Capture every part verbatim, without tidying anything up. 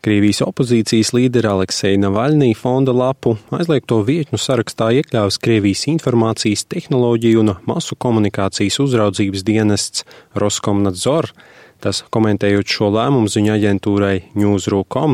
Krievijas opozīcijas līdera Alekseja Navaļnija fonda lapu aizliegto vietņu sarakstā iekļāvis Krievijas informācijas tehnoloģiju un masu komunikācijas uzraudzības dienests Roskomnadzor. Tas, komentējot šo lēmumu ziņu aģentūrai Newsru punkt com,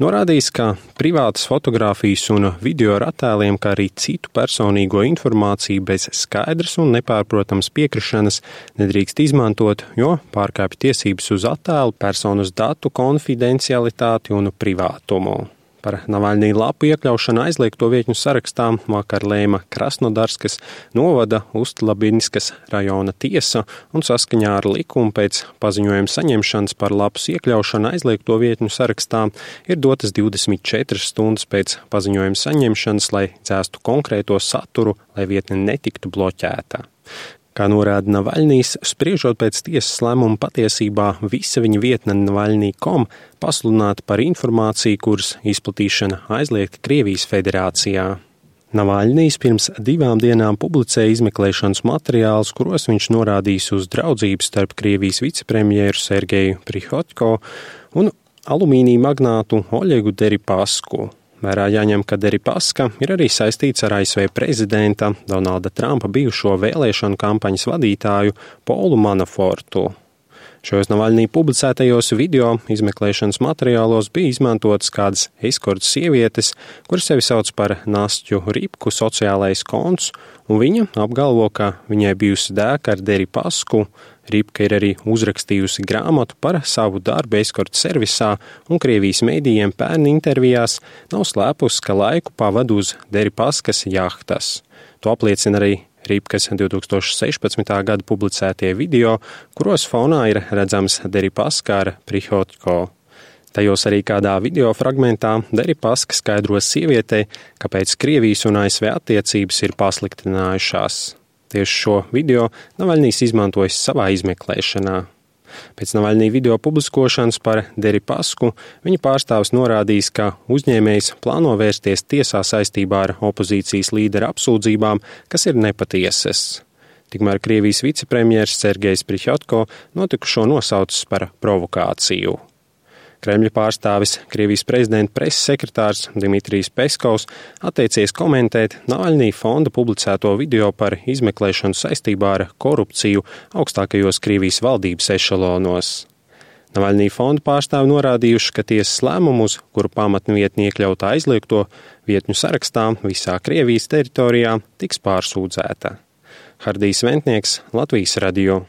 norādījis, ka privātas fotogrāfijas un video ar attēliem, kā arī citu personīgo informāciju bez skaidras un nepārprotams piekrišanas nedrīkst izmantot, jo pārkāpj tiesības uz attēlu, personas datu konfidencialitāti un privātumu. Par Navaļnija lapu iekļaušanu aizliegto vietņu sarakstā vakar lēma Krasnodarskas novada Ustlabinskas rajona tiesa un saskaņā ar likumu pēc paziņojuma saņemšanas par lapas iekļaušanu aizliegto vietņu sarakstā ir dotas divdesmit četras stundas pēc paziņojuma saņemšanas, lai dzēstu konkrēto saturu, lai vietne netiktu bloķēta. Kā norāda Navaļnijs, spriežot pēc tiesas lēmuma, patiesībā visa viņa vietne Navaļnija punkt com pasludināta par informāciju, kuras izplatīšana aizliegta Krievijas federācijā. Navaļnijs pirms divām dienām publicēja izmeklēšanas materiālus, kuros viņš norādījis uz draudzību starp Krievijas vicepremjeru Sergeju Prihotko un alumīnija magnātu Oļegu Deripasku. Vērā jāņem, ka Deripaska ir arī saistīts ar A S V prezidenta Donalda Trumpa bijušo vēlēšanu kampaņas vadītāju Polu Manafortu. Šajos Navaļnija publicētajos video izmeklēšanas materiālos bija izmantotas kādas eskortas sievietes, kuras sevi sauc par Nastju Ripku sociālais konts, un viņa apgalvo, ka viņai bijusi dēka ar Deripasku. Ripka ir arī uzrakstījusi grāmatu par savu darbu eskorta servisā un Krievijas mēdījiem pērn intervijās nav slēpusi, ka laiku pavada uz Deripaskas jahtas. To apliecina arī Ripkas divi tūkstoši sešpadsmitā gada publicētie video, kuros fonā ir redzams Deripaska ar Prihotko. Tajos arī kādā video fragmentā Deripaska skaidro sievietei, kāpēc Krievijas un A S V attiecības ir pasliktinājušās. Tieši šo video Navaļnijs izmantojis savā izmeklēšanā. Pēc Navaļnija video publiskošanas par Deripasku viņa pārstāvis norādījis, ka uzņēmējs plāno vērsties tiesā saistībā ar opozīcijas līdera apsūdzībām, kas ir nepatiesas. Tikmēr Krievijas vicepremjers Sergejs Prihotko notikušo nosaucis par provokāciju. Kremļa pārstāvis Krievijas prezidenta preses sekretārs Dimitrijs Peskovs atteicies komentēt Navaļnija fonda publicēto video par izmeklēšanu saistībā ar korupciju augstākajos Krievijas valdības ešalonos. Navaļnija fonda pārstāvi norādījuši, ka tiesas lēmumus, kuru pamatnu vietni iekļautā aizliegto vietņu sarakstā visā Krievijas teritorijā, tiks pārsūdzēta. Hardijs Ventnieks, Latvijas radio.